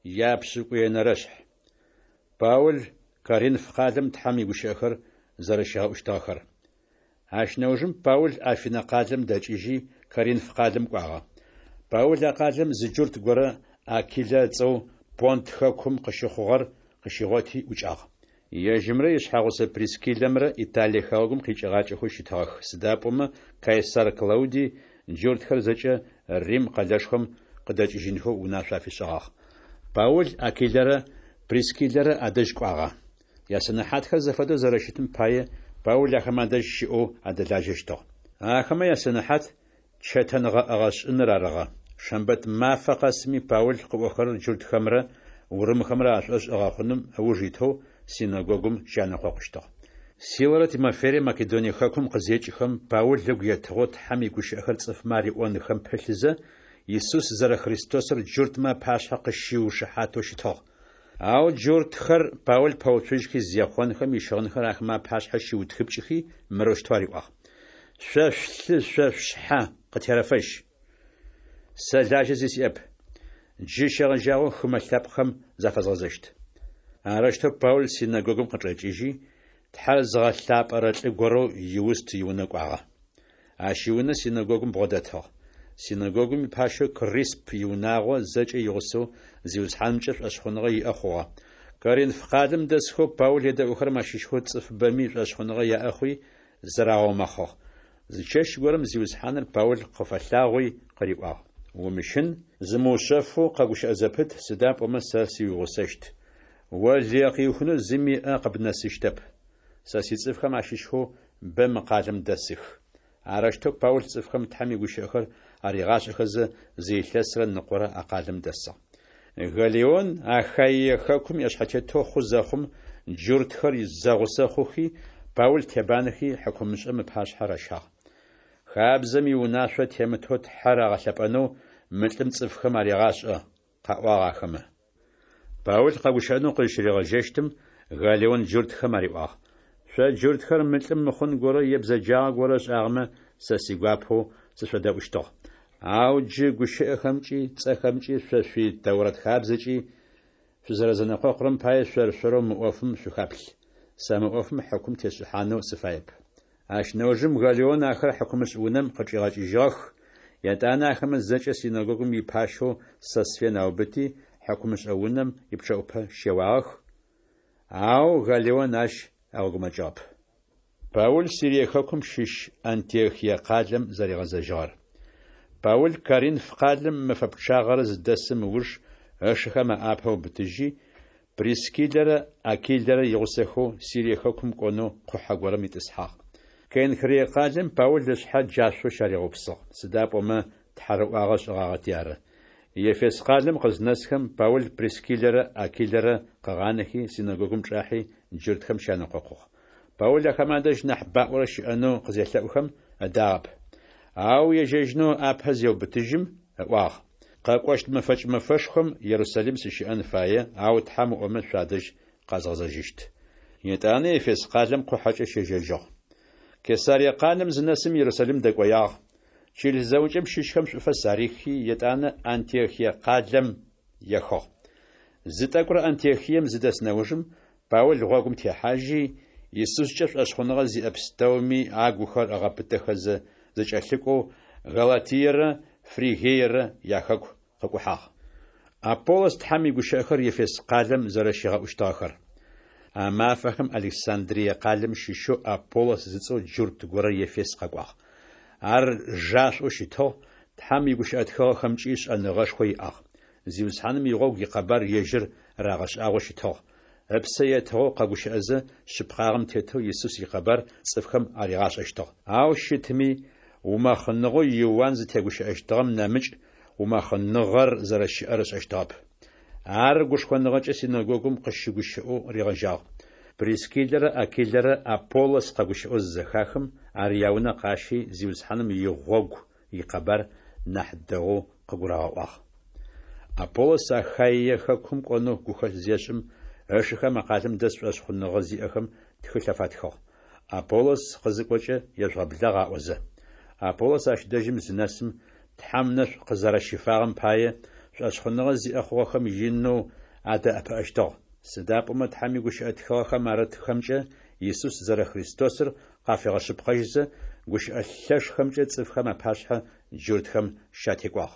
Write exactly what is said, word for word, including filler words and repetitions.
Япшӏыкӏуенэрэшъхь. Паул Коринф къалэм Тхьэм игущыӏэхэр зэрэщигъэӏущтыгъэхэр. Ащ нэужым Паул Афинэ къалэм дэкӏыжьи, Коринф къалэм кӏуагъэ. Паул а къалэм зы джурт горэ Акилэ ыцӏэу Понт хэкум къыщыхъугъэр къыщигъоти ӏукӏагъ. Ежьымрэ ишъхьэгъусэ Прискиллэмрэ Италие хэгъэгум къикӏыгъакӏэхэу щытыгъэх, сыда пӏомэ Кайсар Клаудий джуртхэр зэкӏэ Рим къэлэшхом къыдэкӏыжьынхэу унашъо афишӏыгъагъ. Паул Акилэрэ Прискиллэрэ адэжь кӏуагъэ. Ясэнэхьатхэр зэфэдэу зэрэщытым пае, Паул ахэмэ адэжь щыӏэу адэлажьэщтыгъ. Ахэмэ ясэнэхьат чэтэнгъэӏэгъэ шӏыныр арыгъэ. Шэмбэт мафэ къэсми Паул къыӏохэрэр джуртхэмрэ урымхэмрэ ашӏошъ ыгъэхъуным ыуж итэу, синэгогум щянэкъокъущтыгъ. Силэрэ Тимофейрэ Македоние хэкум къызекӏхэм, Паул ыгу етыгъэу Тхьэм игущыӏэхэр цӏыфмэ ариӏонхэм пылъызэ, Исус зэрэХристосыр джуртмэ апашъхьэ къыщиушыхьатэу щытыгъ. Ау джуртхэр Паул пэуцужьхи зехъонхэм, ищыгъынхэр ахэмэ апашъхьэ щиутхыпкӏыхи, мырэущтэу ариӏуагъ: Шъо шъулъы шъо шъушъхьэ къытерэфэжь! Сэ лажьэ зи сиӏэп. Джы щегъэжьагъэу хымэ лъэпкъхэм зафэзгъэзэщт. Арэущтэу Паул синэгогум къычӏэкӏыжьи, Тхьэр зыгъэлъапӏэрэ лӏы горэу Иуст иунэ кӏуагъэ. Ащ иунэ синэгогум бгъодэтыгъ. Синэгогум ипащэу Крисп иунагъо зэкӏэ игъусэу Зиусхьанымкӏэ шӏошъхъуныгъэ иӏэ хъугъэ. Коринф къалэм дэсхэу Паул едэӏухэрэм ащыщхэу цӏыфыбэми шӏошъхъуныгъэ яӏэ хъуи, зырагъэумэхъыгъ. Зы чэщ горэм Зиусхьаныр Паул къыфэлъагъуи къыриӏуагъ: Умыщын, зымыушъэфэу къэгущыӏэ зэпыт, сыда пӏомэ сэ сыуигъусэщт. О лые къыуихынэу зыми ыӏэ къыбнэсыщтэп. Сэ сицӏыфхэм ащыщхэу бэ мы къалэм дэсых. Арэущтэу Паул цӏыфхэм Тхьэм игущыӏэхэр аригъашӏэхэзэ, зы илъэсрэ ныкъорэ а къалэм дэсыгъ. Галлион Ахаие хэкум иӏэшъхьэтетэу хъу зэхъум, джуртхэр зэгъусэ хъухи, Паул тебанэхи, хьыкумышӏэм ыпашъхьэ ращагъ. Хабзэм иунашъо темытэу Тхьэр агъэлъэпӏэнэу мы лӏым цӏыфхэм арегъашӏэ, – къаӏуагъ ахэмэ. Паул къэгущыӏэнэу къызщыригъэжьэщтым, Галлион джуртхэм ариӏуагъ: Шъо джуртхэр мы лӏым мыхъун горэ е бзэджагъэ горэ ышӏагъэмэ, сэ сигуапэу сышъодэӏущтыгъ. Ау джы гущыӏэхэмкӏи, цӏэхэмкӏи, шъо шъуи Тэурат хабзэкӏи шъузэрэзэнэкъокъурэм пае шъор-шъорэу мы ӏофым шъухаплъ. Сэ мы ӏофым хьыкум тесшӏыхьанэу сыфаеп. Ащ нэужым Галлион ахэр хьыкумышӏ унэм къычӏигъэкӏыжьыгъэх, етӏанэ ахэмэ зэкӏэ синэгогум ипащэу Сосфен аубыти, хьыкумышӏэ унэм ипчъэӏупэ щеуагъэх, ау Галлион ащ ыгъэгумэкӏыгъэп. Паул Сирие хэкум щыщ Антиохие къалэм зэригъэзэжьыгъэр. Паул Коринф къалэм мэфэ пчъагъэрэ зыдэсым ыуж, ышыхэм аӏапэ ыубытыжьи, Прискиллэрэ Акилэрэ игъусэхэу Сирие хэкум кӏонэу къухьэ горэм итӏысхьагъ. Кенхрие къалэм Паул ышъхьэ джашъоу щаригъэупсыгъ, сыда пӏомэ тхьарыӏуагъэ ышӏыгъагъэти ары. Ефес къалэм къызнэсхэм, Паул Прискиллэрэ Акилэрэ къыгъанэхи, синэгогум чӏахьи, джуртхэм щянэкъокъугъ. Паул ахэмэ адэжь нахь баӏорэ щыӏэнэу къызелъэӏухэм, ыдагъэп. Ау ежьэжьынэу ыӏапэ зеубытыжьым, ыӏуагъ: Къэкӏощт мэфэкӏ мэфэшхом Ерусалим сыщыӏэн фае, ау Тхьэм ыӏомэ, шъуадэжь къэзгъэзэжьыщт. Етӏанэ Ефес къалэм къухьэкӏэ щежьэжьыгъ. Кесарие къалэм зынэсым, Ерусалим дэкӏоягъ, чылыс зэӏукӏэм щыщхэм шӏуфэс арихи, етӏанэ Антиохие къалэм ехыгъ. Зы тӏэкӏурэ Антиохием зыдэс нэужым, Паул гъогум техьажьи, Исускӏэ шӏошъхъуныгъэ зиӏэ пстэуми агухэр ыгъэпытэхэзэ, зэкӏэлъыкӏоу Галатиерэ Фригиерэ яхэку къыкӏухьагъ. Аполлос Тхьэм игущыӏэхэр Ефес къалэм зэрэщигъэӏущтыгъэхэр. А мафэхэм Александрие къалэм щыщэу Аполлос зыцӏэу джурт горэ Ефес къэкӏуагъ. Ар жашӏоу щытыгъ, Тхьэм игущыӏэ тхыгъэхэмкӏи шӏэныгъэшхо иӏагъ. Зиусхьаным игъогу икъэбар ежьыр рагъэшӏагъэу щытыгъ. Ыпсэ етыгъэу къэгущыӏэзэ, шъыпкъагъэм тетэу Исус икъэбар цӏыфхэм аригъашӏэщтыгъ. Ау щытми, умэхъыныгъэу Иуан зытегущыӏэщтыгъэм нэмыкӏ умэхъыныгъэр зэрэщыӏэр ышӏэщтыгъэп. Ар гушхоныгъэкӏэ синэгогум къыщыгущыӏэу ригъэжьагъ. Прискиллэрэ Акилэрэ Аполлос къэгущыӏэу зызэхахым, ар яунэ къащи, Зиусхьаным игъогу икъэбар нахь дэгъоу къыгурагъэӏуагъ. Аполлос Ахаие хэкум кӏонэу гухэлъ зешӏым, ышыхэм а къалэм дэс шӏошъхъуныгъэ зиӏэхэм тхылъ афатхыгъ: Аполлос къызыкӏокӏэ ежъугъэблагъ аӏозэ. Аполлос ащ дэжьым зынэсым, Тхьэм ынэшӏу къызэрэщифагъэм пае, шӏошъхъуныгъэ зиӏэ хъугъэхэм инэу адэӏэпыӏэщтыгъ. Сыда пӏомэ Тхьэм игущыӏэ тхыгъэхэм арытхэмкӏэ Исус зэрэХристосыр къафигъэшъыпкъэжьызэ, гущыӏэ лъэшхэмкӏэ цӏыфхэм апашъхьэ джуртхэм щатекӏуагъ.